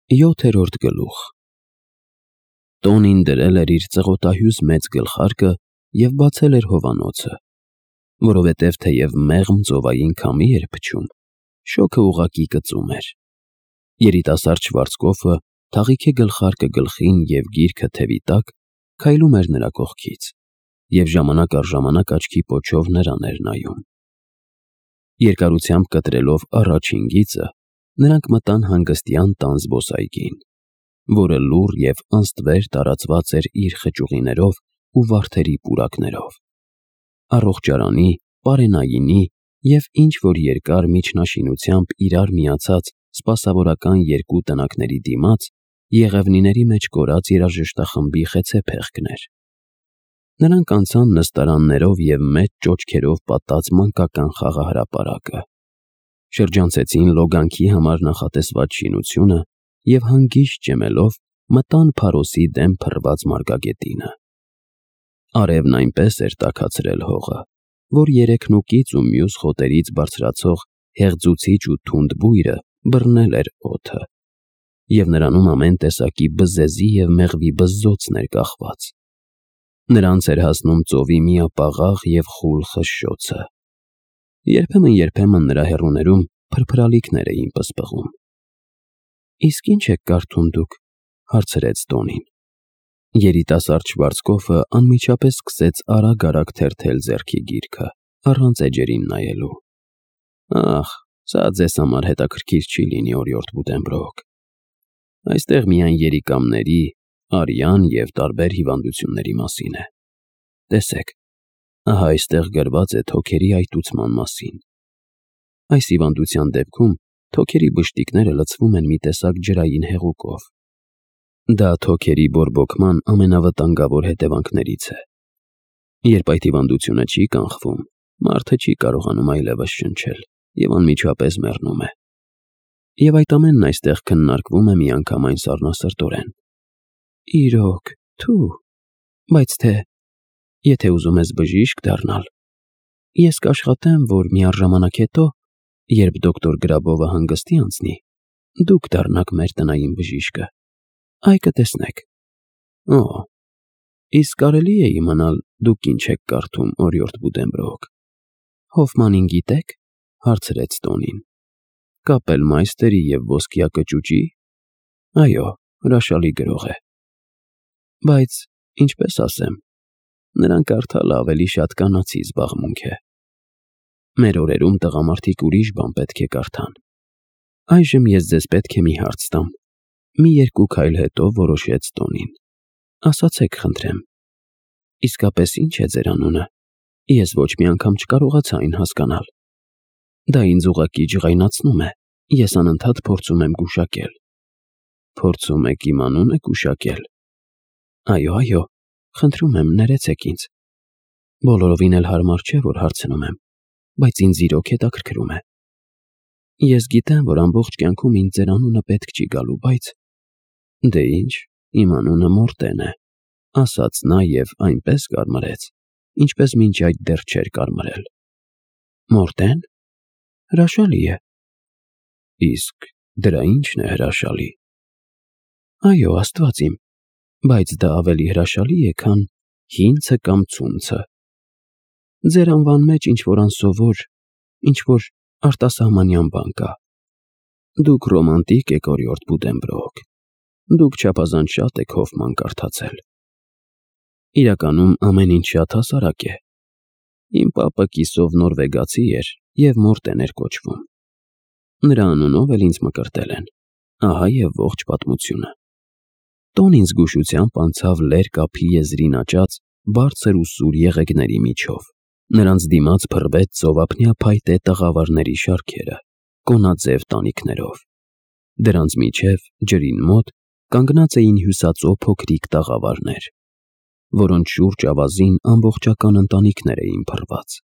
7-րդ գլուխ Տոնին դրել էր իր ծղոտահյուս մեծ գլխարկը և բացել էր հովանոցը, որովհետև թեև մեղմ ծովային քամի էր փչում, շոգը ուղղակի կծում էր։ Երիտասարդ Շվարցկոֆը, թաղիքի գլխարկը գլխին և գիրքը թևի տակ, քայլում էր նրա կողքից և ժամանակ առ ժամանակ աչքի պոչով նրան էր նայում։ Երկարությամբ կտրելով առաջին գիծը, նրանք մտան հանգստյան տան զբոսայգին, որը լուռ և անստվեր տարածված էր իր խճուղիներով ու վարդերի պուրակներով, առողջարանի, պարենայինի և ինչ-որ երկար միջնաշինությամբ իրար միացած սպասավորական երկու տնակների դիմաց եղևնիների մեջ կորած երաժշտախմբի խեցեփեղկն էր։ Նրանք անցան նստարաններով և մեծ ճոճքերով պատած մանկական խաղահրապարակը, շրջանցեցին լոգանքի համար նախատեսված շինությունը և հանգիստ ջեմելով մտան Փարոսի դեմ փռված մարգագետինը։ Արևն այնպես էր տաքացրել հողը, որ երեքնուկից ու մյուս խոտերից բարձրացող հեղձուցիչ ու թունդ բույրը բռնել էր օդը, և նրանում ամեն տեսակի բզեզի և մեղվի բզզոցն էր կախված։ Նրանց էր հասնում ծովի միապաղաղ և խուլ խշշոցը։ Երբեմն նրա հեռուներում փրփրալիքներ էին պսպղում։ «Իսկ ի՞նչ եք կարդում դուք», հարցրեց Տոնին։ Երիտասարդ Շվարցկոֆը անմիջապես սկսեց արագ թերթել ձեռքի գիրքը, առանց էջերին նայելու։ «Ախ, սա ձեզ համար հետաքրքիր չի լինի, օրիորդ Բուտենբրոկ։ Այստեղ միայն երիկամների, արյան և տարբեր հիվանդությունների մասին է։ Տեսեք, ահա այստեղ գրված է թոքերի այտուցման մասին։ Այս հիվանդության դեպքում թոքերի բշտիկները լցվում են մի տեսակ ջրային հեղուկով։ Դա թոքերի բորբոքման ամենավտանգավոր հետևանքներից է։ Երբ այդ հիվանդությունը չի կանխվում, մարդը չի կարողանում այլևս շնչել և անմիջապես մեռնում է։ Եվ այդ ամենն այստեղ քննարկվում է միանգամայն սառնասրտորեն։ Իրոք, թու, բայց եթե ուզում ես բժիշկ դառնալ, ես կաշխատեմ, որ միառժամանակ հետո, երբ դոկտոր Գրաբովը հանգստի անցնի, դուք դառնաք մեր տնային բժիշկը։ Այ կտեսնեք։ Օ, իսկ կարելի է իմանալ դուք ինչ եք կարդում, օրիորդ Բուտենբրոկ։ Հոֆմանին գիտե՞ք, հարցրեց Տոնին։ Կապելմայստերի և ոսկյա կճուճի։ Այո, հրաշալի գրող է։ Բայց, ինչպես ասեմ, նրան կարդալը ավելի շատ կանացի զբաղմունք է։ Մեր օրերում տղամարդիկ ուրիշ բան պետք է կարդան։ Այժմ ես ձեզ պետք է մի հարց տամ։ Մի երկու քայլ հետո որոշեց Տոնին։ Ասացեք, խնդրեմ, իսկապես ի՞նչ է ձեր անունը։ Ես ոչ մի անգամ չկարողացա այն հասկանալ։ Դա ինձ ուղղակի ջղայնացնում է։ Ես անընդհատ փորձում եմ գուշակել։ Փորձում եք իմ անունը գուշակել։ Այո, խնդրում եմ, ներեցեք ինձ։ Բոլորովին էլ հարմար չէ, որ հարցնում եմ, բայց ինձ իրոք հետաքրքրում է։ Ես գիտեմ, որ ամբողջ կյանքում ինձ ձեր անունը պետք չի գալու, բայց… Դե ինչ, իմ անունը Մորտեն է, ասաց նա և այնպես կարմրեց, ինչպես մինչ այդ դեռ չէր կարմրել։ Մորտեն… Հրաշալի է։ Իսկ դրա ի՞նչն է հրաշալի։ Այո, Աստված իմ, բայց դա ավելի հրաշալի է, քան հինցը կամ ցունցը։ Ձեր անվան մեջ ինչ-որ անսովոր, ինչ-որ արտասահմանյան բան կա։ Դուք ռոմանտիկ եք, օրիորդ Բուտենբրոկ։ Դուք չափազանց շատ եք Հոֆման կարդացել։ Իրականում ամեն ինչ շատ հասարակ է։ Իմ պապը կիսով նորվեգացի էր և Մորտեն էր կոչվում։ Նրա անունով էլ ինձ մկրտել են։ Ահա և ողջ պատմությունը։ Տոնին զգուշությամբ անցավ լեր կափի եզրին աճած բարձր ու սուր եղեգների միջով։ Նրանց դիմաց փռվեց ծովափնյա փայտե տղավարների շարքերը, կոնաձև տանիքներով։ Դրանց միջև, ջրին մոտ, կանգնած էին հյուսածո փոքրիկ տաղավարներ, որոնց շուրջ ավազին ամբողջական ընտանիքներ էին փռված։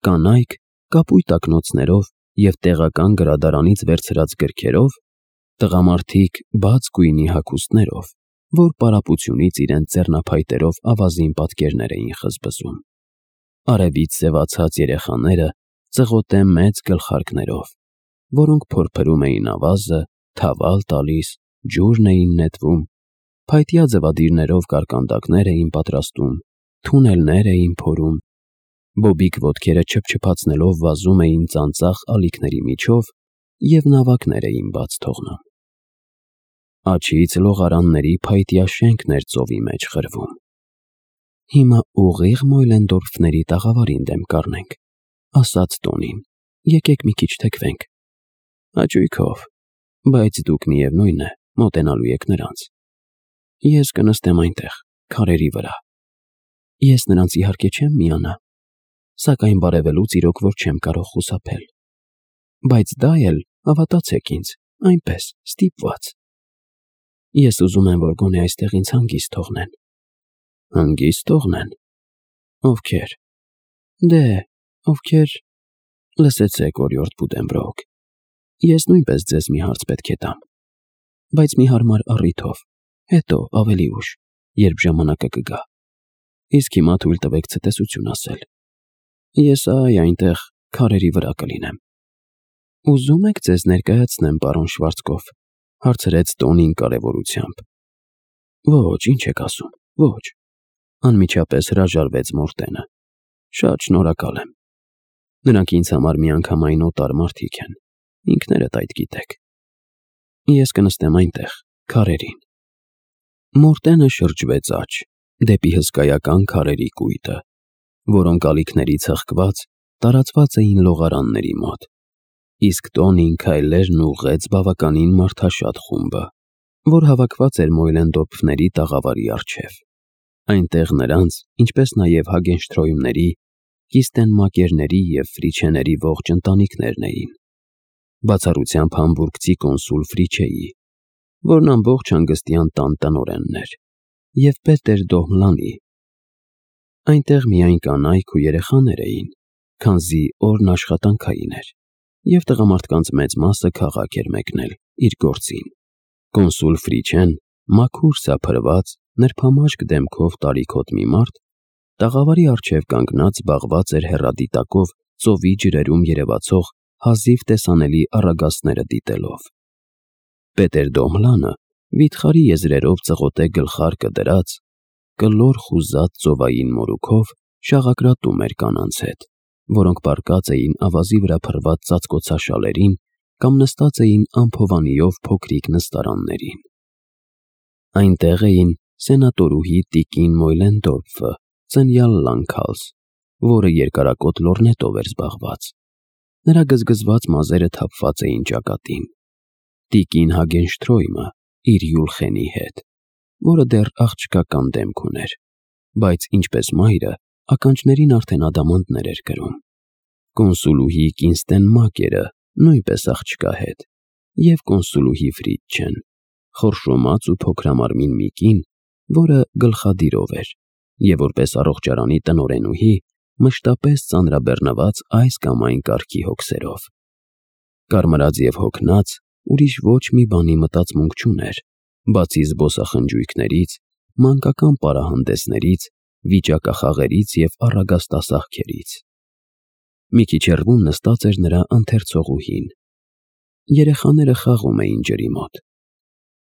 Կանայք կապույտ ակնոցներով և տեղական գրադարանից վերցրած գրքերով, տղամարդիկ բաց գույնի հագուստներով, որ պարապությունից իրենց ձեռնափայտերով ավազին պատկերներ էին խզբզում։ Արևից սևացած երեխաները ծղոտե մեծ գլխարկներով, որոնք փորփրում էին ավազը, թավալ տալիս, ջուրն էին նետվում, փայտյա ձվադիրներով կարկանդակներ էին պատրաստում, թունելներ էին փորում, բոբիկ ոտքերը չփչփացնելով վազում էին ծանծաղ ալիքների միջով և նավակներ էին բաց թողնում։ Աջից լողարանների փայտյա շենքն էր ծովի մեջ խրվում։ «Հիմա ուղիղ Մոյլենդորֆների տաղավարին դեմ կառնենք», ասաց Տոնին, «եկեք մի քիչ թեքվենք»։ «Հաճույքով, բայց դուք միևնույն է մոտենալու եք նրանց»։ «Ես կնստեմ այնտեղ, քարերի վրա»։ «Ես նրանց իհարկե չեմ միանա, սակայն բարևելուց իրոք որ չեմ կարող խուսափել։ Բայց դա էլ, հավատացեք ինձ, այնպես, ստիպված։ Ես ուզում եմ, որ գոնե այստեղ ինձ հանգիստ թողնեն»։ «Հանգիստ թողնեն։ Ովքեր»։ «Դե, ովքեր… Լսեցեք, օրիորդ Բուդենբրոկ, ես նույնպես ձեզ մի հարց պետք է տամ, բայց մի հարմար առիթով, հետո ավելի ուշ, երբ ժամանակը կգա։ Իսկ հիմա թույլ տվեք ցտեսություն ասել։ Ես այնտեղ քարերի վրա կլինեմ»։ «Ուզում եք ձեզ ներկայացնեմ, պարոն Շվարցկոֆ», հարցրեց Տոնին կարևորությամբ։ «Ոչ, ինչ եք ասում, ոչ», անմիջապես հրաժարվեց Մորտենը։ «Շատ շնորհակալ եմ։ Նրանք ինձ համար միանգամայն օտար մարդիկ են, ինքներդ այդ գիտեք։ Ես կնստեմ այնտեղ, քարերին»։ Մորտենը շրջվեց աջ, դեպի հսկայական քարերի կույտը, որոնք ալիքներից հղկված տարածված էին լողարանների մոտ, իսկ Տոնին քայլերն ուղղեց բավականին մարդաշատ խումբը, որ հավաքված էր Մոյլենդորֆների տաղավարի առջև։ Այնտեղ նրանց, ինչպես նաև Հագենշտրոյմների, Կիստենմակերների և Ֆրիչեների ողջ ընտանիքներն էին, բացառությամբ համբուրգցի կոնսուլ Ֆրիչեի, որն ամբողջ հանգստյան տան տնօրենն էր, և Պետեր Դոհմլանի։ Այնտեղ միայն կանայք ու երեխաներ էին, քանզի օրն աշխատանքային էր, և տղամարդկանց մեծ մասը քաղաք էր մեկնել իր գործին։ Կոնսուլ Ֆրիչեն, մաքուր սափրված, նրբամաշկ դեմքով տարիքոտ մի մարդ, տաղավարի առջև կանգնած զբաղված էր հեռադիտակով ծովի ջրերում երևացող հազիվ տեսանելի առագաստները դիտելով։ Պետեր Դոհմլանը վիթխարի եզրերով ծղոտե գլխարկը դրած, կլոր խուզած ծովային մորուքով շաղակրատում էր կանանց հետ, որոնք պառկած էին ավազի վրա փռված ծածկոցաշալերին կամ նստած էին ամփովանիով փոքրիկ նստարաններին։ Այնտեղ էին սենատորուհի տիկին Մոյլենդորֆը, ծնյալ Լանքհաուս, որը երկարակոտ լորնետով էր զբաղված։ Նրա գզգզված մազերը թափված էին ճակատին։ Տիկին Հագենշտրոյմը իր յուլխենի հետ, որը դեռ աղջկական դեմք ուներ, բայց ինչպես մայրը, ականջներին արդեն ադամանդներ էր կրում։ Կոնսուլուհի Կինստենմակերը նույնպես աղջկա հետ, և կոնսուլուհի Ֆրիչեն, խորշոմած ու փոքրամարմին մի կին, որը գլխադիրով էր, և որպես առողջարանի տնօրենուհի մշտապես ծանրաբեռնված այս կամ այն կարգի հոգսերով։ Կարմրած և հոգնած, ուրիշ ոչ մի բանի մտածմունք չուներ, բացի զբոսախնջույքներից, մանկական պարահանդեսներից, վիճակախաղերից և առագաստասահքերից։ Մի քիչ հեռվում նստած էր նրա ընթերցողուհին։ Երեխաները խաղում էին ջրի մոտ։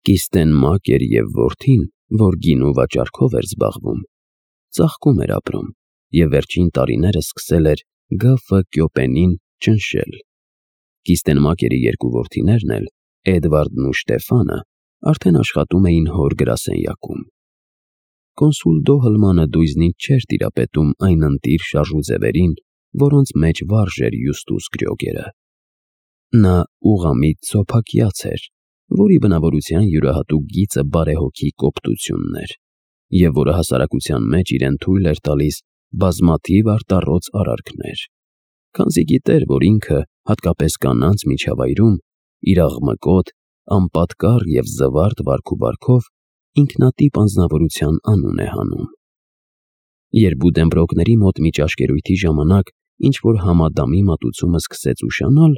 Կիստենմակեր և որդին, որ գինու վաճառքով էր զբաղվում, ծաղկում էր ապրում և վերջին տարիները սկսել էր Գ.Ֆ. Կյոպենին ճնշել։ Կիստենմակերի երկու որդիներն էլ, Էդվարդն ու Շտեֆանը, արդեն աշխատում էին հոր գրասենյակում։ Կոնսուլ Դոհլմանը դույզնից չէր տիրապետում այն ընտիր շարժուձևերին, որոնց մեջ վարժ էր Յուստուս Գրյոգերը։ Նա ուղղամիտ սոփակյաց էր, որի բնավորության յուրահատուկ գիծը բարեհոգի կոպտությունն էր, և որը հասարակության մեջ իրեն թույլ էր տալիս բազմաթիվ արտառոց արարքներ, քանզի գիտեր, որ ինքը, հատկապես կանանց միջավայրում, իր աղմկոտ, անպատկառ և զվարթ վարքուվարքով ինքնատիպ անձնավորության անուն է հանում։ Երբ Բուդենբրոկների մոտ մի ճաշկերույթի ժամանակ ինչ-որ համադամի մատուցումը սկսեց ուշանալ,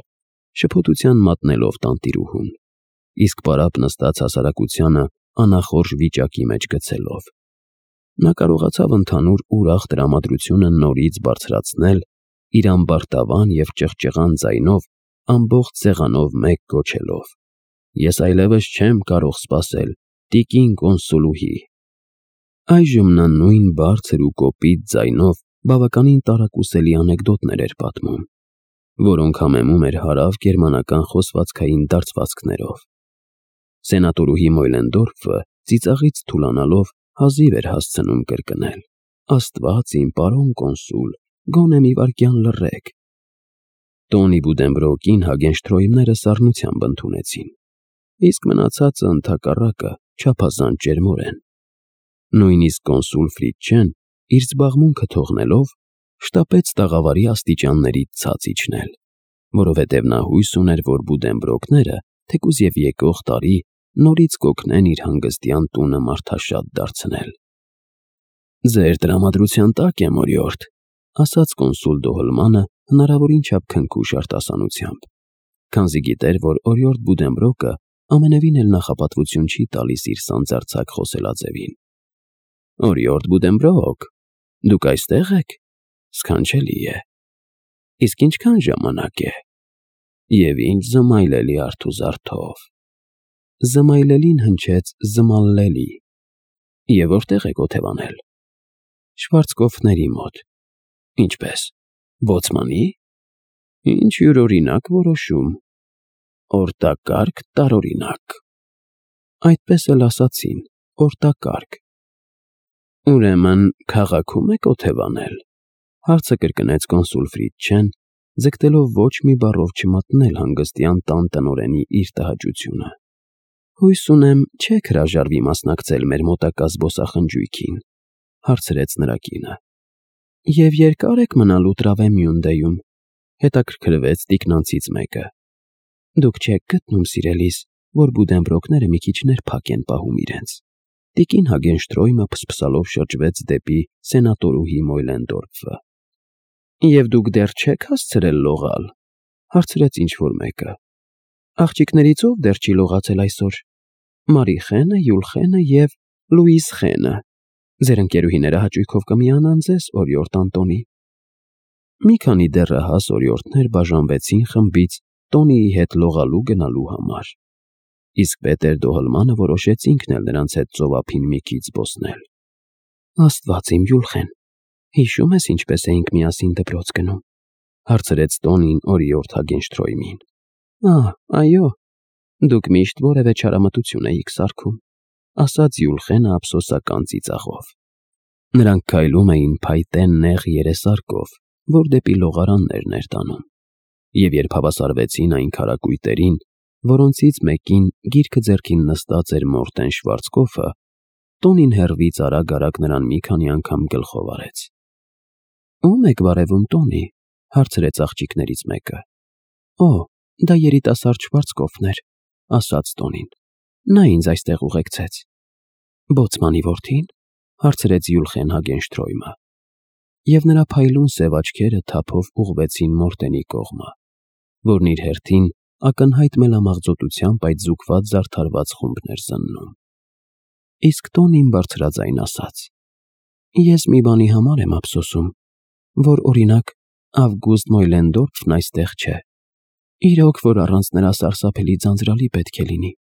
շփոթության մատնելով տանտիրուհուն, իսկ պարապ նստած հասարակությանը անախորժ վիճակի մեջ գցելով, նա կարողացավ ընդհանուր ուրախ տրամադրությունը նորից բարձրացնել իր ամբարտավան և ճղճղան ձայնով ամբողջ սեղանով մեկ գոչելով. Ես այլևս չեմ կարող սպասել տիկին կոնսուլուհի։ Այժմ նա նույն բարձր ու կոպիտ ձայնով բավականին տարակուսելի անեկդոտներ էր պատմում, որոնք համեմում էր հարավ գերմանական խոսվածքային դարձվածքներով։ Սենատորուհի Մոյլենդորֆը ծիծաղից թուլանալով հազիվ էր հասցնում կրկնել. «Աստված իմ պարոն կոնսուլ, գոնե մի վայրկյան լռեք»։ Տոնի Բուդենբրոկին Հագենշտրոյմները սառնությամբ ընդունեցին, իսկ մնացածը ընդհակառակը չափազանց ջերմորեն։ Նույնիսկ կոնսուլ Ֆրիդչեն, իր զբաղմունքը թողնելով, շտապեց տաղավարի աստիճաններից ցած իջնել, որովհետև նա հույս ուներ, որ Բուդենբրոկները, թեկուզ և եկող տարի, նորից կօգնեն իր հանգստյան տունը մարդաշատ դարձնել։ «Ձեր տրամադրության տակ եմ, օրիորդ», ասաց կոնսուլ Դոհլմանը հնարավորին չափ քնքուշ արտասանությամբ, քանզի գիտեր, որ օրիորդ Բուդենբրոկը ամենևին էլ նախապատվություն չի տալիս իր սանձարձակ խոսելաձևին։ «Օրիորդ Բուդենբրոկ, դուք այստեղ եք, սքանչելի է։ Իսկ ինչքան ժամանակ է։ Եվ ինչ զմայլելի արթուզարթով»։ Զմայլելին հնչեց զմալլելի։ «Եվ որտեղ եք օթևանել»։ «Շվարցկոֆների մոտ»։ «Ինչպես, բոցմանի»։ «Ինչ յուրօրինակ որոշում։ Օրտակարգ տարօրինակ»։ «Այդպես էլ ասացին, օրտակարգ»։ «Ուրեմն քաղաքում եք օթևանել», հարցը կրկնեց կոնսուլ Ֆրիդչեն, ձգտելով ոչ մի բառով չմատնել հանգստյան տան տնօրենի իր տհաճությունը։ «Հույս ունեմ, չեք հրաժարվի մասնակցել մեր մոտակա զբոսախնջույքին», հարցրեց նրա կինը։ «Եվ երկա՞ր եք մնալու Տրավեմյունդեում», հետաքրքրվեց տիկնանցից մեկը։ «Դուք չեք գտնում, սիրելիս, որ Բուդենբրոկները մի քիչ ներփակ են պահում իրենց»։ Տիկին Հագենշտրոյմը փսփսալով շրջվեց դեպի սենատորուհի Մոյլենդորֆը։ «Եվ դուք դեռ չեք հասցրել լողալ», հարցրեց ինչ-որ մեկը։ «Աղջիկներից ով դեռ չի լողացել այսօր։ Մարիխենը, Յուլխենը և Լուիզխենը։ Ձեր ընկերուհիները հաճույքով կմիանան ձեզ, օրիորդ Անտոնի»։ Մի քանի դեռահաս օրիորդներ բաժանվեցին խմբից Տոնիի հետ լողալու գնալու համար, իսկ Պետեր Դոհլմանը որոշեց ինքն էլ նրանց հետ ծովափին մի քիչ զբոսնել։ «Աստված իմ, Յուլխեն, հիշո՞ւմ ես ինչպես էինք միասին դպրոց գնում», հարցրեց Տոնին օրիորդ Հագենշտրոյմին։ Այո, դուք միշտ որևէ չարամտություն էիք սարքում», ասաց Յուլխենը ափսոսական ծիծաղով։ Նրանք քայլում էին փայտե նեղ երեսարկով, որ դեպի լողարաններն էր տանում, և երբ հավասարվեցին այն քարակույտերին, որոնցից մեկին գիրքը ձեռքին նստած էր Մորտեն Շվարցկոֆը, Տոնին հեռվից արագ-արագ նրան մի քանի անգամ գլխով արեց։ «Ո՞ւմ եք բարևում, Տոնի», հարցրեց աղջիկներից մեկը։ «Օ, դա երիտասարդ Շվարցկոֆն էր», ասաց Տոնին։ «Նա ինձ այստեղ ուղեկցեց»։ «Բոցմանի որդի՞ն», հարցրեց Յուլխեն Հագենշտրոյմը, և նրա փայլուն սև աչքերը թափով ուղղվեցին Մորտենի կողմը, որն իր հերթին ակնհայտ մելամաղձոտությամբ այդ զուգված զարդարված խումբն էր զննում։ Իսկ Տոնին բարձրաձայն ասաց. «Ես մի բանի համար եմ ափսոսում, որ, օրինակ, Ավգուստ Մոյլենդորֆն այստեղ չէ։ Իրոք, որ առանց նրա սարսափելի ձանձրալի պետք է լինի»։